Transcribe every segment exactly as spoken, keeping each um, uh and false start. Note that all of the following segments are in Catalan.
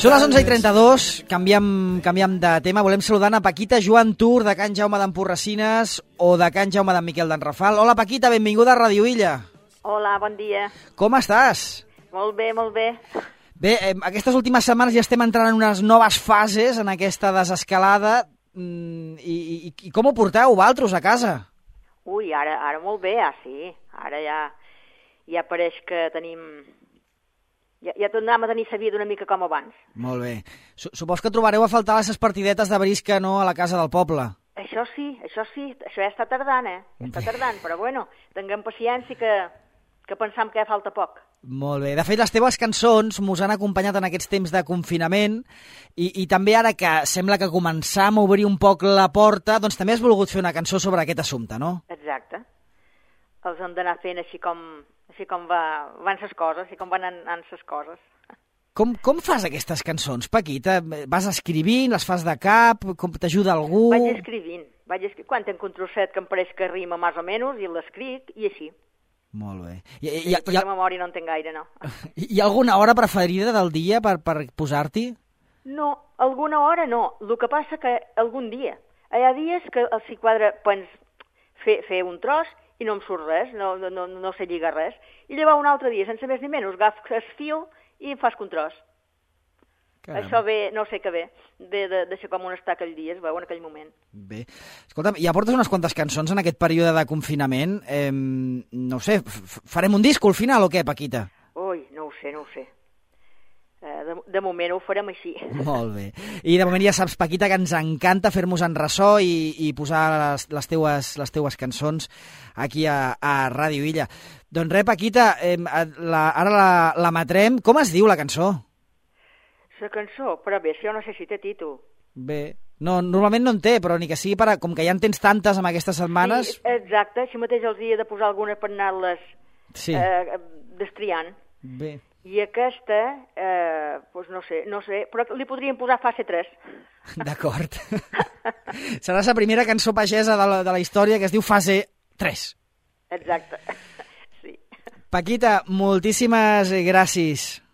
Són les onze i trenta-dos, canviem, canviem de tema. Volem saludar a Paquita Joan Tur, de Can Jaume d'Emporracines o de Can Jaume d'en Miquel d'en Rafal. Hola, Paquita, benvinguda a Ràdio Illa. Hola, bon dia. Com estàs? Molt bé, molt bé. Bé, eh, aquestes últimes setmanes ja estem entrant en unes noves fases en aquesta desescalada. Mm, i, i, I com ho porteu, vosaltres, a casa? Ui, ara, ara molt bé, ah, sí. Ara ja, ja pareix que tenim... Ja, ja tornem a tenir sa vida una mica com abans. Molt bé. Supos que trobareu a faltar les partidetes de brisca, no?, a la casa del poble. Això sí, això sí. Això ja està tardant, eh? Ja està tardant, però bueno, tinguem paciència que, que pensam que ja falta poc. Molt bé. De fet, les teves cançons mos han acompanyat en aquests temps de confinament i, i també ara que sembla que començam a obrir un poc la porta, doncs també has volgut fer una cançó sobre aquest assumpte, no? Exacte. Els hem d'anar fent així com... així com va, van ses coses, així com van anant ses coses. Com, com fas aquestes cançons, Paquita? Vas escrivint, les fas de cap, com t'ajuda algú? Vaig escrivint, vaig escrivint. Quan tenc un trosset que em pareix que rima més o menys, i l'escric, i així. Molt bé. I, I, i, perquè i, memòria no en tinc gaire, no. Hi ha alguna hora preferida del dia per, per posar-t'hi? No, alguna hora no. El que passa que algun dia. Hi ha dies que els hi quadra pens, fer, fer un tros i no em surt res, no, no, no sé lligar res. I llavors un altre dia, sense més ni menys, agafo el fil i em fas un tros. Caram. Això ve, no sé què ve, ve de, de ser com un estar aquell dia, es veu en aquell moment. Bé. Escolta'm, ja portes unes quantes cançons en aquest període de confinament. Eh, no ho sé, farem un disc al final o què, Paquita? Ui, no ho sé, no ho sé. De, de moment ho farem així. Molt bé. I de moment ja saps, Paquita, que ens encanta fer-nos en ressò i, i posar les, les, teues, les teues cançons aquí a, a Ràdio Illa. Doncs res, Paquita, eh, la, ara la, la matrem. Com es diu la cançó? La cançó? Però bé, jo no sé si té títol. Bé, no, normalment no en té, però ni que sigui per a, com que ja en tens tantes amb aquestes setmanes... Sí, exacte, així mateix els dia de posar alguna per anar-les sí. eh, destriant. Bé. I aquesta, eh, doncs no sé, no sé, però li podríem posar fase tres. D'acord. Serà la primera cançó pagesa de la, de la història que es diu fase tres. Exacte, sí. Paquita, moltíssimes gràcies.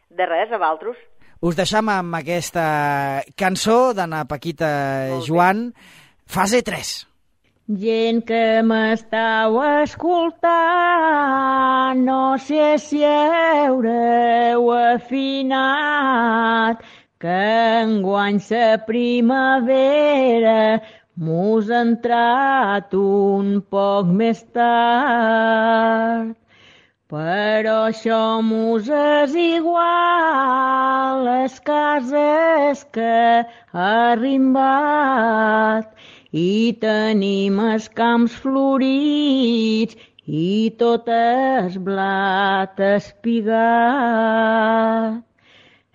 De res, a vosaltres. Us deixam amb aquesta cançó d'Anna Paquita Joan, fase tres. Gent que m'estàu escoltant, no sé si haureu afinat que enguany sa primavera mos ha entrat un poc més tard. Però això mos és igual, les cases que ha arrimbat, i tenim els camps florits i tot el blat espigat.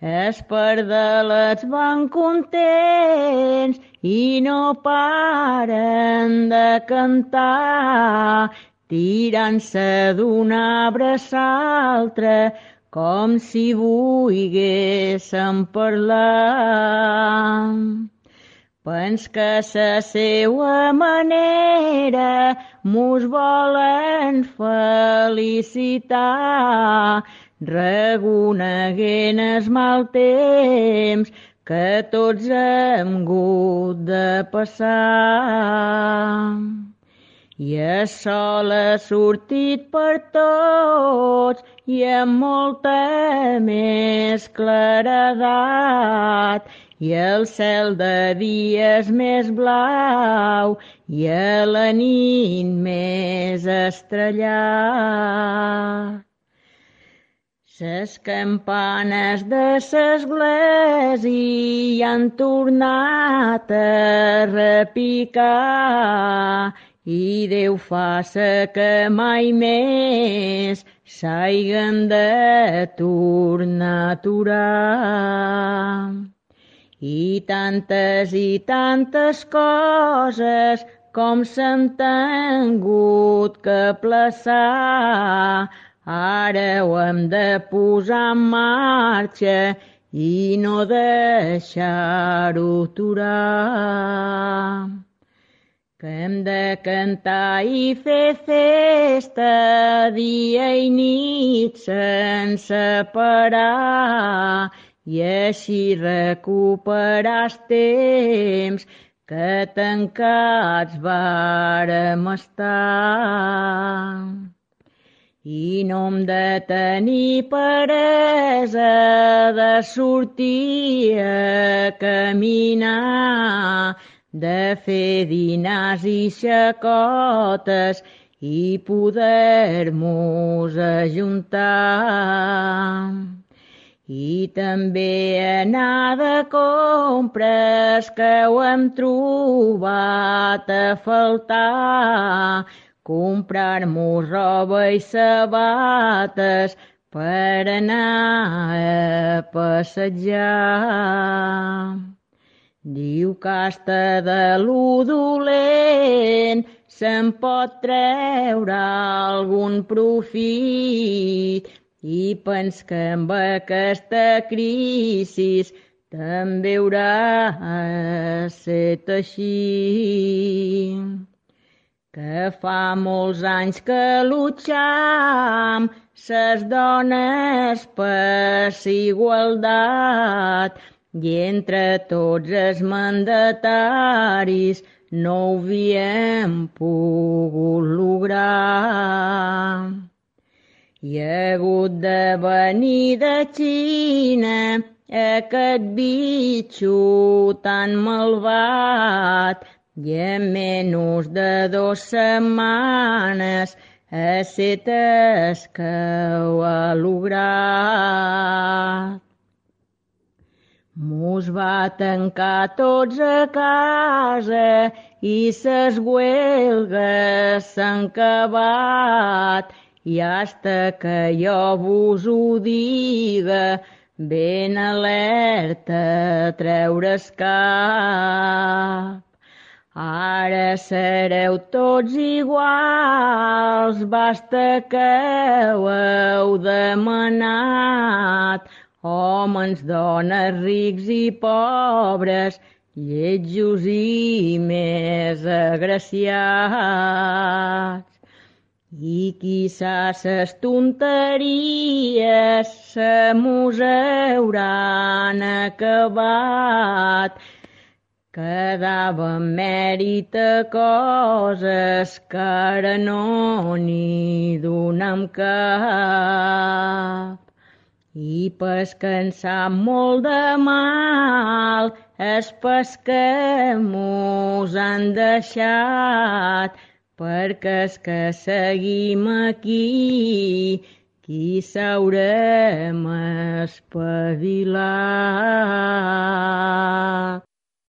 Els pardelets van contents i no paren de cantar, tirant-se d'un arbre a l'altre com si volguéssim parlar. Pens que sa seua manera mos volen felicitar, reconeguent el mal temps que tots hem hagut de passar. I el sol ha sortit per tots i amb molta més claredat, i el cel de dia és més blau i a la nit més estrellat. Ses campanes de l'església han tornat a repicar i Déu faça que mai més s'hagin de tornar a aturar. I tantes i tantes coses com s'han tingut que plaçar, ara ho hem de posar en marxa i no deixar-ho aturar. que hem de cantar i fer festa dia i nit sense parar i així recuperar els temps que tancats vàrem estar. I no hem de tenir peresa de sortir a caminar, de fer dinars i xacotes i poder-nos ajuntar. I també anar de compres que ho hem trobat a faltar, comprar-nos roba i sabates per anar a passejar. Diu que hasta de lo dolent se'n pot treure algun profit i pens que amb aquesta crisi també haurà set així. Que fa molts anys que lucham ses dones per igualtat i entre tots els mandataris no ho havíem pogut lograr. Hi ha hagut de venir de Xina aquest bitxo tan malvat i en menys de dues setmanes ha set es que ho ha lograt. Mos va tancar tots a casa i ses huelgues s'han acabat i hasta que jo vos ho diga ben alerta a treure's cap. Ara sereu tots iguals, basta que ho heu demanat, homes, dones, rics i pobres, lletjos i més agraciats. I quizà ses tonteries se mos hauran acabat, quedava mèrit a coses que ara no n'hi donem cap. I pes que en sap molt de mal és pes que mos han deixat, perquè és que seguim aquí, qui s'haurem espavilat.